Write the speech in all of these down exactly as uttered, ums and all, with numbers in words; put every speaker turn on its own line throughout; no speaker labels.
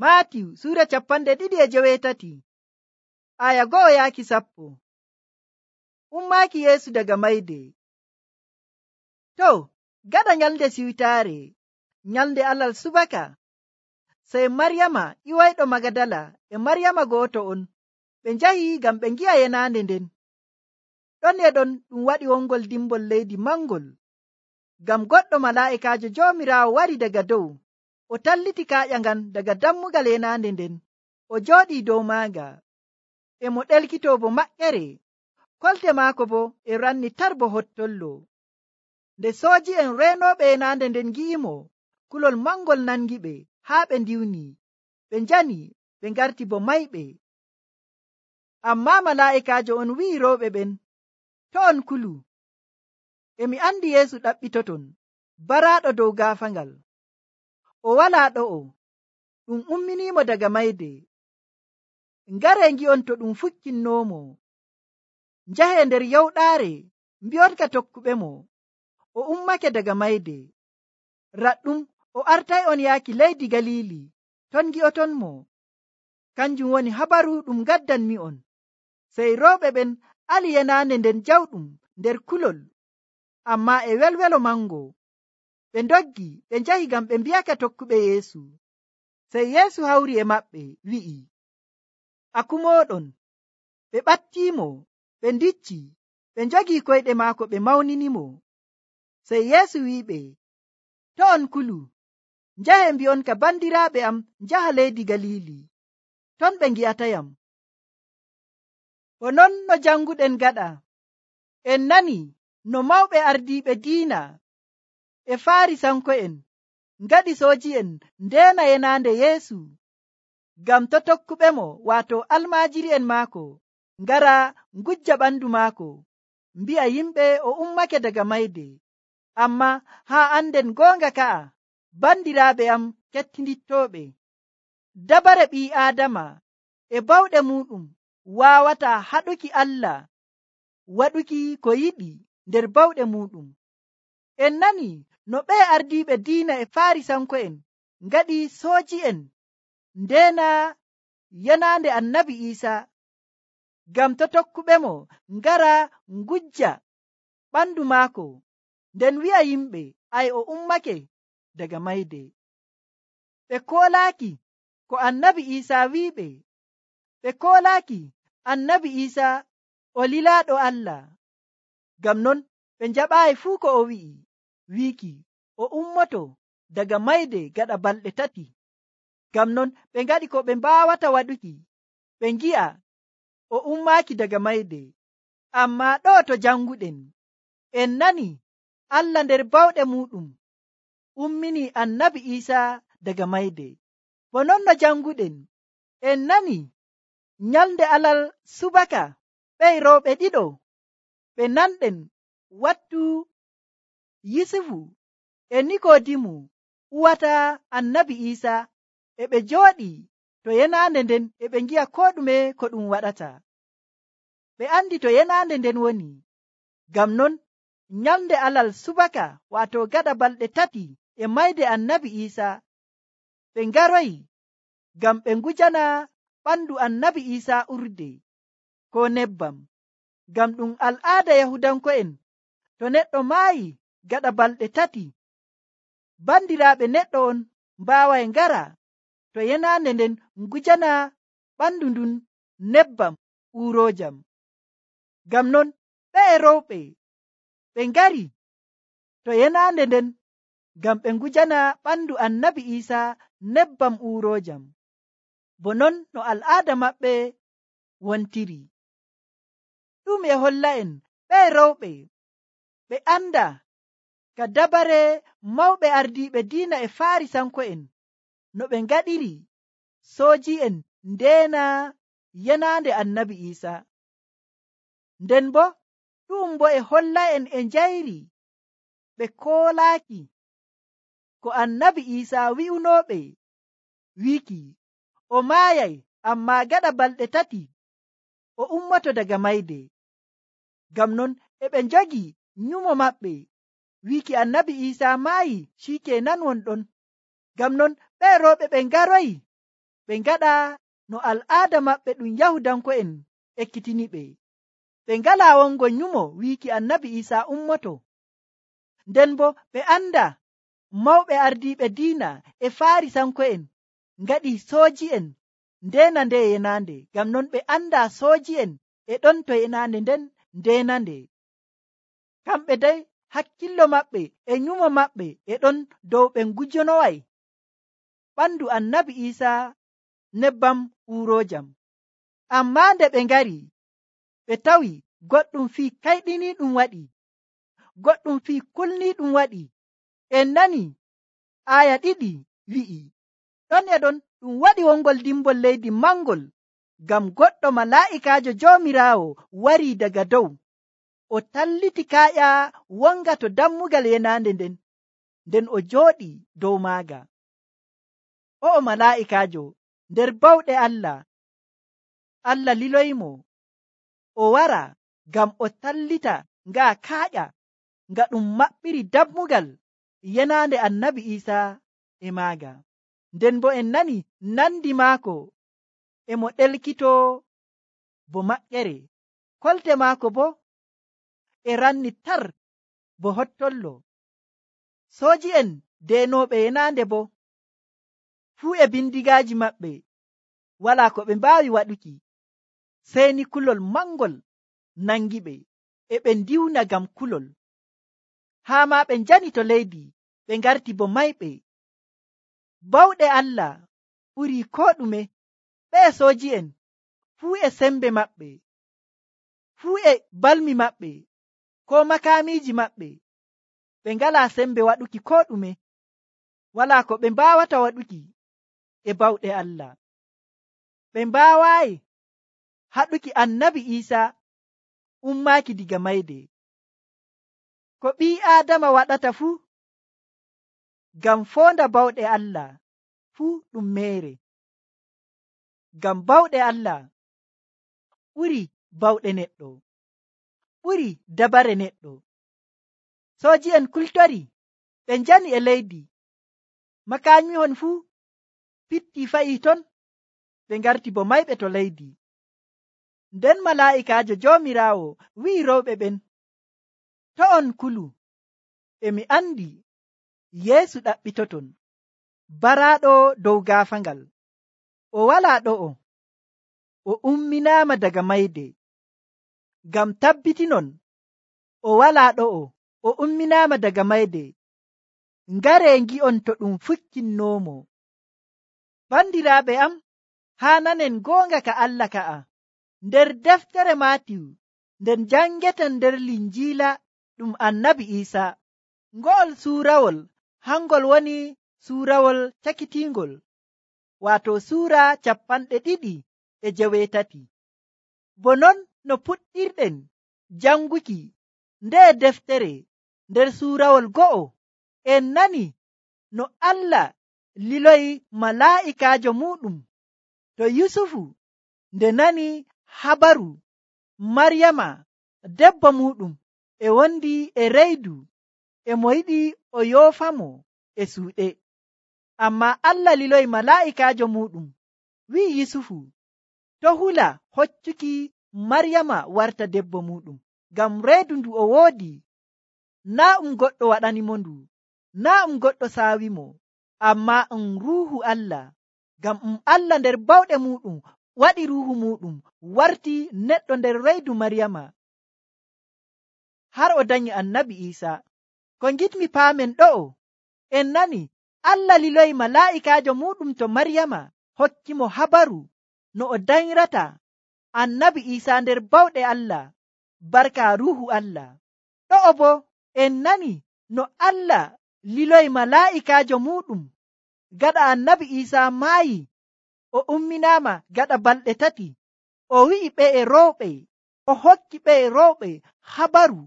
Maatiyu Suura capanɗe ɗiɗi e joweetati aya go'o yaaki sappo. Ummaaki Yeesu daga mayde. To, gaɗa nyalnde siwtaare, nyalnde alal subaka, sey Maryama iwayɗo Magadala e Maryama gooto on ɓe njahi ngam ɓe ngi'a yenaande nden. Ɗon e ɗon ɗum waɗi wongol dimbol leydi mangol, ngam goɗɗo malaa'ikaajo Joomiraawo wari daga dow, o talliti kaaƴa ngan daga dammugal yenaande nden, o jooɗii dow maaga, e mo ɗelkitoo bo maƴƴere, kolte maako bo e ranni tar bo hottollo. Nde sooji'en reenooɓe yenaande nden ngi'imo, kulol mangol nangiɓe haa ɓe ndiwni, ɓe njani, ɓe ngarti bo mayɓe. Ammaa malaa'ikaajo on wi'i rewɓe ɓen, to on kulu, e mi andi Yeesu ɗaɓɓitoton, baraaɗo dow gaafaangal. O walaa ɗo'o, ɗum umminiimo daga mayde. Ngaree ngi'on to ɗum fukkinnoomo. Njahee nder yawɗaare, mbi'onka tokkuɓemo, o ummake daga mayde. Raɗɗum o artay'on yaaki leydi Galiili, ton ngi'otonmo. Kanjum woni habaru ɗum ngaddanmi'on. Sey rewɓe ɓen ali yenaande nden jawɗum nder kulol, ammaa e welwelo mango. Ɓe ndoggi ɓe njahi ngam ɓe mbi'aka tokkuɓe Yeesu. Sey Yeesu hawri e maɓɓe wi'i, akumooɗon. Ɓe ɓattiimo, ɓe ndicci, ɓe njogii koyɗe maako ɓe mawninimo. Sey Yeesu wi'iɓe, to on kulu, njahe mbi'onka bandiraaɓe am njaha leydi Galiili, ton ɓe ngi'atayam. Bo non no janguɗen gaɗa, en nani no mawɓe ardiiɓe diina e Faarisanko'en ngaɗi sooji'en ndeena yenaande Yeesu, ngam to tokkuɓemo waato almaajiri'en maako ngara ngujja ɓandu maako, mbi'a yimɓe o ummake daga mayde. Ammaa haa anden goonga ka'a, bandiraaɓe am kettindittooɓe, dabare ɓii Aadama e bawɗe muuɗum waawataa haɗuki Allah waɗuki ko yiɗi nder bawɗe muuɗum. En nani no ɓee ardiiɓe diina e Faarisanko'en ngaɗi sooji'en ndeena yenaande Annabi Iisaa, ngam to tokkuɓemo ngara ngujja ɓandu maako, nden wi'a yimɓe ay o ummake daga mayde. Ɓe koolaaki ko Annabi Iisaa wi'iɓe. Ɓe koolaaki Annabi Iisaa o lilaaɗo Allah. Ngam non ɓe njaɓaayi fuu ko o wi'i, wiiki o ummoto daga mayde gaɗa balɗe tati. Ngam non ɓe ngaɗi ko ɓe mbaawata waɗuki, ɓe ngi'a o ummaaki daga mayde. Ammaa ɗo to janguɗen, en nani Allah nder bawɗe muuɗum ummini Annabi Iisaa daga mayde. Bo non no janguɗen, en nani nyalnde alal subaka ɓey rewɓe ɗiɗo ɓe nanɗen wattu Yusufu e Nikoodimu uwata Annabi Iisaa, e ɓe jooɗi to yenaande nden e ɓe ngi'a ko ɗume ko ɗum waɗata. Ɓe andi to yenaande nden woni. Ngam non nyalnde alal subaka waato gaɗa balɗe tati e mayde Annabi Iisaa, ɓe ngaroyi ngam ɓe ngujana ɓandu Annabi Iisaa urde ko nebbam. Ngam ɗum al'aada Yahudanko'en, to neɗɗo maayi gaɗa balɗe tati, bandiraaɓe neɗɗo on mbaaway ngara to yenaande nden ngujana ɓandu ndun nebbam uuroojam. Ngam non ɓee rewɓe ɓe ngari to yenaande nden ngam ɓe ngujana ɓandu Annabi Iisaa nebbam uuroojam, bo non no al'aada maɓɓe wontiri. Ɗum e holla'en ɓee rewɓe ɓe anda ka dabare mawɓe ardiiɓe diina e Faarisanko'en no ɓe ngaɗiri sooji'en ndeena yenaande Annabi Iisaa. Nden bo ɗum bo e holla'en e njayri ɓe koolaaki ko Annabi Iisaa wi'unooɓe, wiiki o maayay, ammaa gaɗa balɗe tati o ummoto daga mayde. Ngam non e ɓe njogi nyumo maɓɓe, wiiki Annabi Iisaa maayi, shikenan wonɗon. Ngam non ɓee rewɓe ɓe ngaroyi ɓe ngaɗa no al'aada maɓɓe ɗum Yahudanko'en ekkitini ɓe. Ɓe ngalaa wongo nyumo wiiki annabi Iisaa ummoto. Nden bo ɓe anda mawɓe ardiiɓe diina e Faarisanko'en ngaɗi sooji'en ndeena nde yenaande. Ngam non ɓe anda sooji'en e ɗon to yenaande nden ndeenande. Kamɓe dey hakkillo maɓɓe e nyumo maɓɓe e ɗon dow ɓe ngujonoway ɓandu annabi Iisaa nebbam uurojam. Ammaa nde ɓe ngari ɓe tawi goɗɗum fii kayɗiniiɗum waɗi, goɗɗum fii kulniiɗum waɗi. En nani aaya ɗiɗi wi'i, ɗon e ɗon ɗum waɗi wongol dimbol leydi mangol, ngam goɗɗo malaa'ikaajo Joomiraawo warii daga dow, o talliti kaaƴa wonga to dammugal yenaande nden, nden o jooɗii dow maaga. O'o malaa'ikaajo nder bawɗe Allah, Allah liloyimo o wara ngam o tallita nga kaaƴa nga ɗum maɓɓiri dammugal yenaande annabi Iisaa e maaga. Nden bo en nani nandi maako e mo ɗelkito bo maƴƴere, kolte maako bo e ranni tar bo hottollo. Sooji'en deenooɓe yenaande bo fuu e bindigaaji maɓɓe walaa ko ɓe mbaawi waɗuki, sey ni kulol mangol nangi ɓe, e ɓe ndiwna ngam kulol. Haa maa ɓe njani to leydi, ɓe ngarti bo mayɓe. Bawɗe Allah ɓurii koo ɗume. Ɓee sooji'en fuu e sembe maɓɓe, fuu e balmi maɓɓe, koo makaamiiji maɓɓe, ɓe ngalaa sembe waɗuki koo ɗume. Walaa ko ɓe mbaawata waɗuki e bawɗe Allah. Ɓe mbaawaayi haɗuki annabi Iisaa ummaaki diga mayde. Ko ɓii Aadama waɗata fuu ngam foonda bawɗe Allah fuu ɗum meere. Ngam bawɗe Allah ɓuri bawɗe neɗɗo, ɓuri dabare neɗɗo. Sooji'en kultori ɓe njani e leydi, makaamihon fuu pitti fa'i ton, ɓe ngarti bo mayɓe to leydi. Nden malaa'ikaajo Joomiraawo wi'i rewɓe ɓen, to on kulu, e mi andi Yeesu ɗaɓɓitoton, baraaɗo dow gaafangal. O walaa ɗo'o, o umminaama daga mayde. Ngam tabbitinon o walaa ɗo'o, o umminaama daga mayde. Ngaree ngi'on to ɗum fukkinnoomo. Bandiraaɓe am, haa nanen goonga ka Allah ka'a nder deftere Maatiyu, nden jangeten nder Linjiila ɗum annabi Iisaa. Ngo'ol suurawol hangol woni suurawol cakitiingol, waato suura cappanɗe ɗiɗi e jeweetati. Bo non no puɗɗirɗen janguki nde deftere nder suurawol go'o, en nani no Allah liloyi malaa'ikaajo muɗum to Yusufu nde nani habaru Maryama debbo muɗum e wondi e reydu, e mo yiɗi o yoofamo e suuɗe. Ammaa Allah liloyi malaa'ikaajo muɗum wi'i Yusufu to hula hoccuki Maryama warta debbo muɗum, ngam reedu ndu o woodi naa um goɗɗo waɗanimo ndu, naa um goɗɗo saawimo, ammaa um ruuhu Allah. Ngam um Allah nder bawɗe muɗum waɗi ruuhu muɗum warti neɗɗo nder reedu Maryama, har o danyi annabi Iisaa. Ko ngitmi paamen ɗo'o, en nani Allah liloyi malaa'ikaajo muɗum to Maryama hokkimo habaru no o dayrata annabi Iisaa nder bawɗe Allah barka ruuhu Allah. Ɗo'o bo en nani no Allah liloyi malaa'ikaajo muɗum gaɗa annabi Iisaa maayi, o umminaama gaɗa balɗe tati, o wi'i ɓe e rowɓe, o hokki ɓe e rowɓe habaru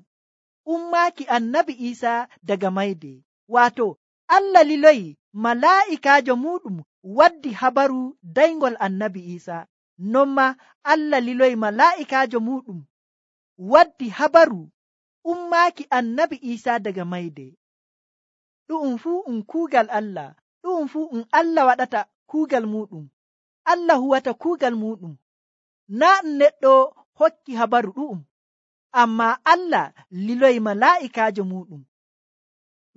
ummaaki annabi Iisaa daga mayde. Waato Allah liloyi malaa'ikaajo muɗum waddi habaru daygol annabi Iisaa. Non ma Allah liloyi malaa'ikaajo muɗum waddi habaru ummaaki annabi Iisaa daga mayde. Ɗu'um fuu um kuugal Allah, ɗu'um fuu um Allah waɗata kuugal muɗum Allah huwata kuugal muɗum. Naa neɗɗo hokki habaru ɗu'um, amma Allah liloyi malaa'ikaajo muɗum.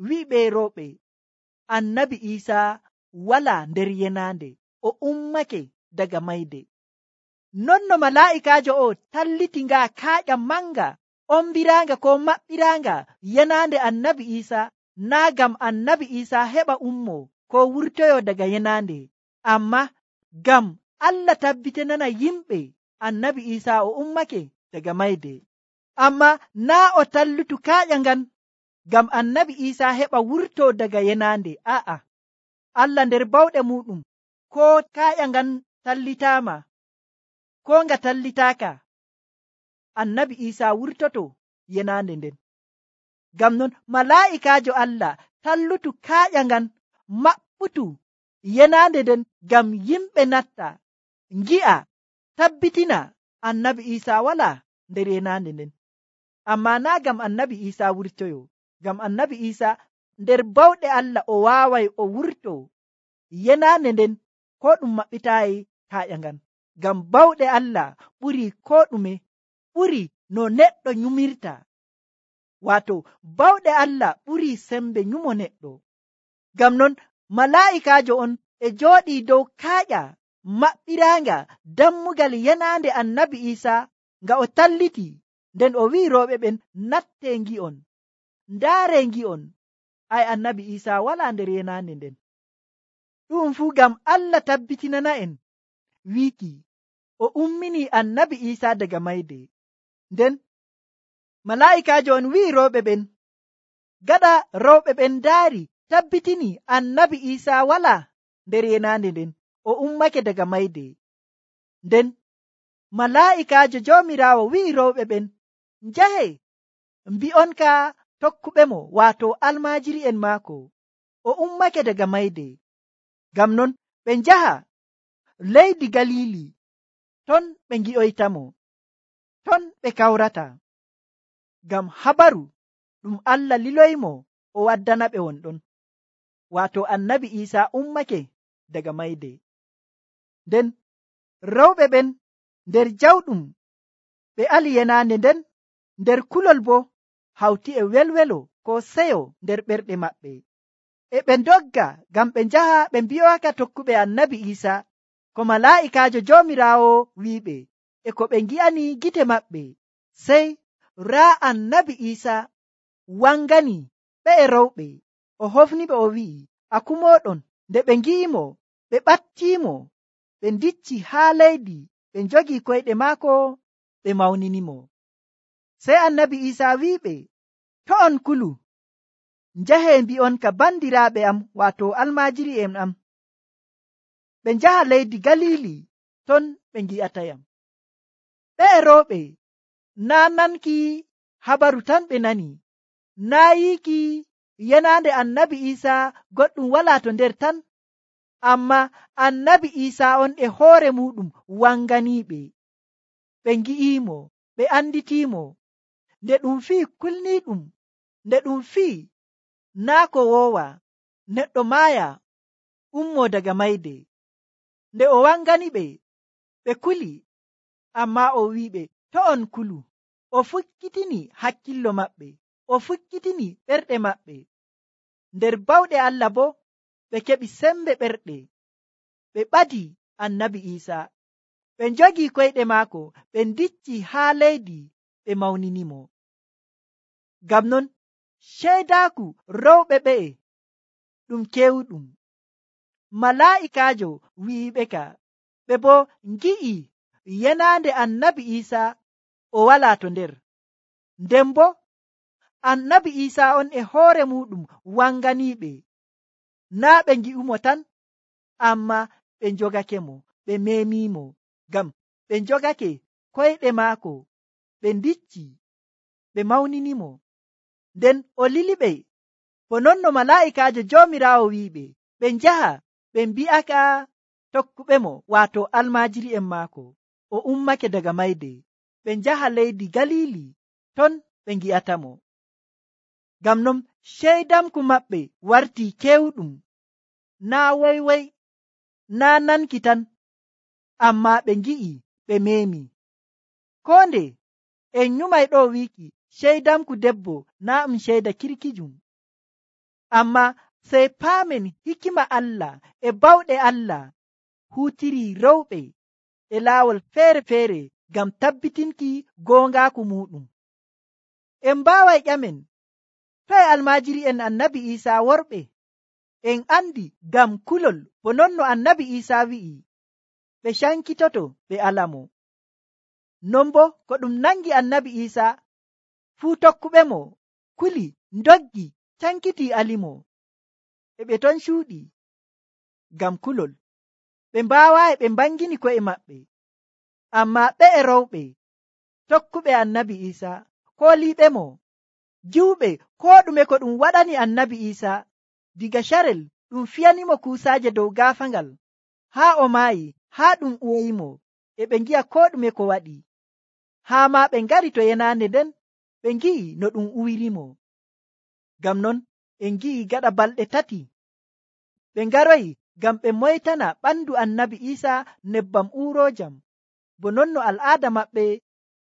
Wi'ɓe rewɓe, annabi Iisaa wala nder yenaande, o ummake daga mayde. Non no malaa'ikaajo o talliti nga kaaƴa manga ombiraanga ko maɓɓiraanga yenaande annabi Iisaa, naa gam annabi Iisaa heɓa ummo ko wurtoyo daga yenaande, amma gam Allah tabbitinana yimɓe annabi Iisaa o ummake daga mayde. Amma naa o tallutu kaaƴa ngan gam annabi Iisaa heɓa wurto daga yenaande. A'a, Allah nder bawɗe muɗum, ko kaaƴa ngan tallitaama ko nga tallitaaka, annabi Iisaa wurtoto yenaande nden. Gam non malaa'ikaajo Allah tallutu kaaƴa ngan maɓɓutu yenaande nden gam yimɓe natta ngi'a tabbitina annabi Iisaa wala nder yenaande nden. Amma naa gam annabi Iisaa wurtoyo, gam annabi Iisaa nder bawɗe Allah o waaway o wurto yenaande nden ko ɗum maɓɓitaayi kaaƴa ngan. Gam bawɗe Allah ɓuri ko ɗume, ɓuri no neɗɗo nyumirta. Wato bawɗe Allah ɓuri sembe nyumo neɗɗo. Gam non malaa'ikaajo on e jooɗii dow kaaƴa maɓɓiraanga dammugal yenaande annabi Iisaa nga o talliti, nden o wi'i rewɓe ɓen, natte ngi'on, ndaare ngi'on, ay annabi Iisaa wala nder yenaande nden. Ɗum fuu gam Allah tabbitinana en wiiki o ummini annabi Iisaa daga mayde. Nden malaa'ikaajo on wi'i rewɓe ɓen, gaɗa rewɓe ɓen ndaari tabbitini annabi Iisaa wala nder yenaande nden, o ummake daga mayde. Nden malaa'ikaajo Joomiraawo wi'i rewɓe ɓen, njahe mbi'on ka tokkuɓe mo, waato almaajiri'en maako, o ummake daga mayde. Gam non ɓe njaha leydi Galiili, ton ɓe ngi'oytamo, ton ɓe kawrata. Gam habaru ɗum Allah liloymo o waddana ɓe wonɗon, waato annabi Iisaa ummake daga mayde. Nden rewɓe ɓen nder jawɗum ɓe ali yenaande nden, nder kulol bo hawti e welwelo ko seyo nder ɓerɗe maɓɓe. E ɓe ndogga gam ɓe njaha ɓe mbi'oaka tokkuɓe annabi Iisaa ko malaa'ikaajo Joomiraawo wi'iɓe, e ko ɓe ngi'ani gite maɓɓe. Sey raa annabi Iisaa wangani ɓe e rewɓe, o hofniɓe o wi'i, akumoɗon. Nde ɓe ngi'imo, ɓe ɓattiimo, ɓe ndicci haa leydi, ɓe njogi koyɗe maako, ɓe mawninimo. Sey annabi Iisaa wi'iɓe, to on kulu, njahe mbi'on ka bandiraaɓe am, waato almaajiri'en am, ɓe njaha leydi Galiili, ton ɓe ngi'atayam. Ɓe e rewɓe naa nanki habaru tan ɓe nani, naa yiiki yenaande annabi Iisaa goɗɗum wala to nder tan, amma annabi Iisaa on e hoore muɗum wanganiiɓe. Ɓe ngi'imo, ɓe anditiimo, nde ɗum fii kulniiɗum, nde ɗum fii naa ko woowa neɗɗo maaya ummo daga mayde. Nde o wangani ɓe, ɓe kuli, amma o wi'iɓe, to on kulu. O fukkitini hakkillo maɓɓe, o fukkitini ɓerɗe maɓɓe. Nder bawɗe Allah bo ɓe keɓi sembe ɓerɗe, ɓe ɓadi annabi Iisaa, ɓe njogi koyɗe maako, ɓe ndicci haa leydi, ɓe mawninimo. Gam non ceydaaku rewɓe ɓe'e ɗum kewɗum. Malaa'ikaajo wi'iɓe ka, ɓe bo ngi'i yenaande annabi Iisaa o wala to nder. Nden bo annabi Iisaa on e hoore muɗum wanganiiɓe, naa ɓe ngi'umo tan, amma ɓe njogake mo, ɓe memimo, gam ɓe njogake koyɗe maako, ɓe ndicci, ɓe mawninimo. Nden o liliɓe, bo non no malaa'ikaajo Joomiraawo wi'iɓe, ɓe njaha ɓe mbi'aka tokkuɓe mo, waato almaajiri'en maako, o ummake daga mayde. Ɓe njaha leydi Galiili, ton ɓe ngi'atamo. Gam non ceydamku maɓɓe wartii kewɗum, naa woywoy, naa nanki tan, ammaa ɓe ngi'i ɓe meemi. Koo nde en nyumay ɗo wiiki ceydamku debbo naa ɗum ceyda kirkijum, ammaa sey paamen hikima Allah e bawɗe Allah huutiri rewɓe e laawol feere-feere ngam tabbitinki goongaaku muɗum. En mbaaway ƴamen, toye almaajiri'en annabi Iisaa worɓe? En andi ngam kulol bo non no annabi Iisaa wi'i ɓe cankitoto ɓe alamo. Non bo ko ɗum nangi annabi Iisaa fuu tokkuɓe mo kuli ndoggi cankiti alimo, e ɓe ton cuuɗi ngam kulol. Ɓe mbaawaayi ɓe mbangini ko'e maɓɓe, ammaa ɓe e rewɓe tokkuɓe annabi Iisaa kooliiɓe mo giwɓe koo ɗume ko ɗum waɗani annabi Iisaa. Diga carel ɗum fiyanimo kuusaaje dow gaafangal haa o maayi, haa ɗum uwoyimo, e ɓe ngi'a koo ɗume ko waɗi. Haa maa ɓe ngari to yenaande nden ɓe ngi'i no ɗum uwirimo. Ngam non en ngi'i gaɗa balɗe tati ɓe ngaroyi ngam ɓe moytana ɓandu annabi Iisaa nebbam uuroojam, bo non no al'aada maɓɓe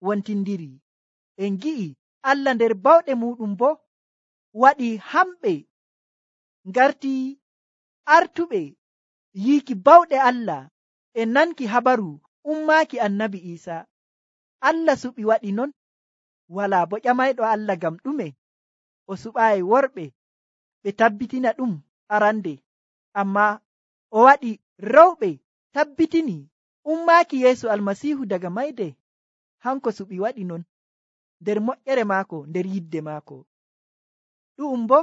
wontindiri. En ngi'i Allah nder bawɗe muɗum bo waɗi hamɓe ngarti artuɓe yiiki bawɗe Allah e nanki habaru ummaaki annabi Iisaa. Allah suɓi waɗi non, walaa bo ƴamayɗo Allah ngam ɗume o suɓaayi worɓe ɓe tabbitina ɗum arande, ammaa o waɗi rewɓe tabbitini ummaaki Yeesu Almasiihu daga mayde. Hanko suɓi waɗi non nder moƴƴere maako, nder yidde maako. Ɗu'um bo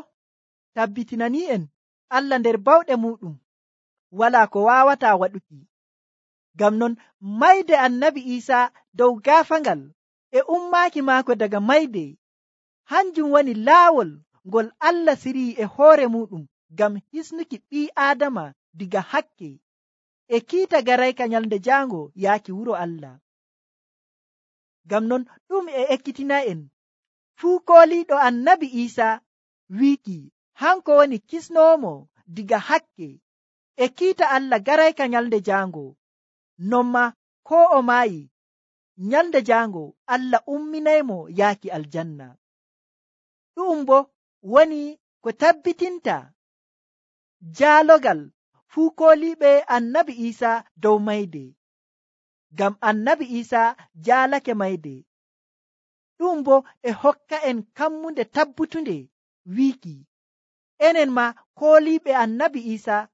tabbitinani'en Allah nder bawɗe muɗum walaa ko waawataa waɗuki. Ngam non mayde annabi Iisaa dow gaafangal e ummaaki maako daga mayde, hanjum woni laawol ngol Allah sirii e hoore muɗum ngam hisnuki ɓii Aadama diga hakke e kiita garayka nyalnde jaango yaaki wuro Allah. Ngam non ɗum e ekkitina'en fuu kooliiɗo annabi Iisaa wiiki hanko woni kisnoomo diga hakke e kiita Allah garayka nyalnde jaango. Non ma koo o maayi nyalnde jaango Allah umminaymo yaaki aljanna. Ɗum bo woni ko tabbitinta jaalogal fuu kooliiɓe annabi Iisaa dow mayde, ngam annabi Iisaa jaalake mayde. Ɗum bo e hokka en kammunde tabbutunde wiiki enen ma kooliiɓe annabi Iisaa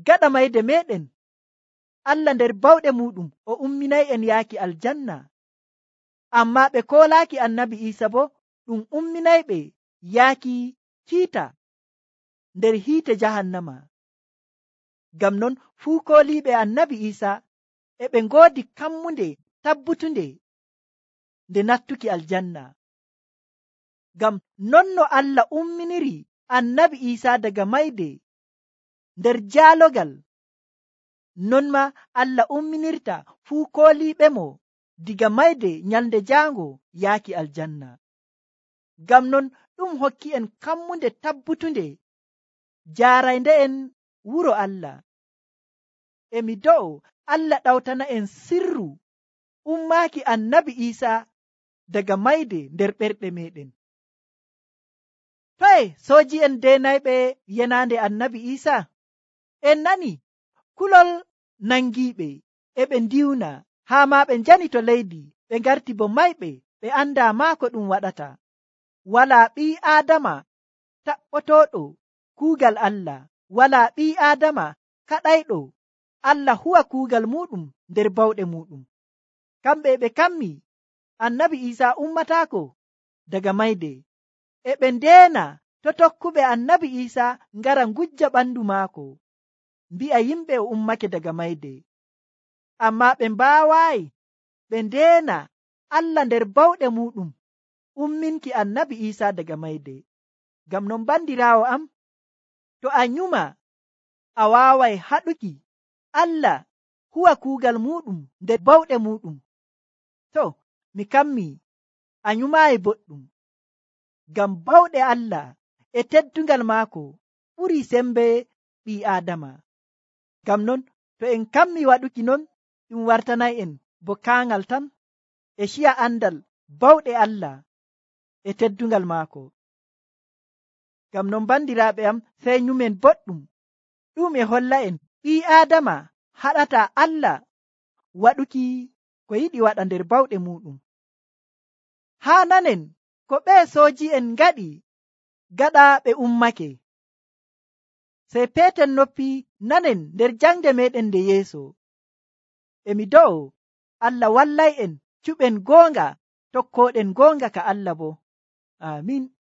gaɗa mayde meɗen Allah nder bawɗe muɗum o umminay en yaaki aljanna, ammaa ɓe koolaaki annabi Iisaa bo ɗum umminayɓe yaaki kiita nder hiite jahannama. Ngam non fuu kooliiɓe annabi Iisaa e ɓe ngoodi kammunde tabbutunde nde nattuki aljanna. Ngam non no Allah umminiri annabi Iisaa daga mayde nder jaalogal, non ma Allah umminirta fuu kooliiɓe mo diga mayde nyalnde jaango yaaki aljanna. Ngam non ɗum hokki en kammunde tabbutunde jaaraynde en wuro Allah. E mi do'o Allah ɗawtana en sirru ummaaki annabi Iisaa daga mayde nder ɓerɗe meɗen. Toye sooji'en deenayɓe yenaande annabi Iisaa? En nani kulol nangiiɓe e ɓe ndiwna, haa maa ɓe njani to leydi, ɓe ngarti bo mayɓe, ɓe andaa maa ko ɗum waɗata. Walaa ɓii Aadama taɓɓotooɗo kuugal Allah, walaa ɓii Aadama kaɗayɗo Allah huwa kuugal muɗum nder bawɗe muɗum. Kamɓe ɓe kammi annabi Iisaa ummataako daga mayde, e ɓe ndeena to tokkuɓe annabi Iisaa ngara ngujja ɓandu maako, mbi'a yimɓe o ummake daga mayde. Ammaa ɓe mbaawaayi ɓe ndeena Allah nder bawɗe muɗum umminki annabi Iisaa daga mayde. Ngam non bandiraawo am, to a nyuma a waaway haɗuki Allah huwa kuugal muɗum nder bawɗe muɗum, to mi kammi a nyumaayi boɗɗum, ngam bawɗe Allah e teddungal maako ɓuri sembe ɓii Aadama. Ngam non to en kammi waɗuki non, ɗum wartanay en bo kaangal tan e ciya andal bawɗe Allah e teddungal maako. Ngam non bandiraaɓe am, sey nyumen boɗɗum ɗum e holla en ɓii Aadama haɗata Allah waɗuki ko yiɗi waɗa nder bawɗe muɗum. Haa nanen ko ɓee sooji'en ngaɗi gaɗa ɓe ummake. Sey peeten noppi nanen nder jangde meɗen nde yeeso. E mi do'o Allah wallay en cuɓen goonga tokkooɗen goonga ka Allah bo. Aamin.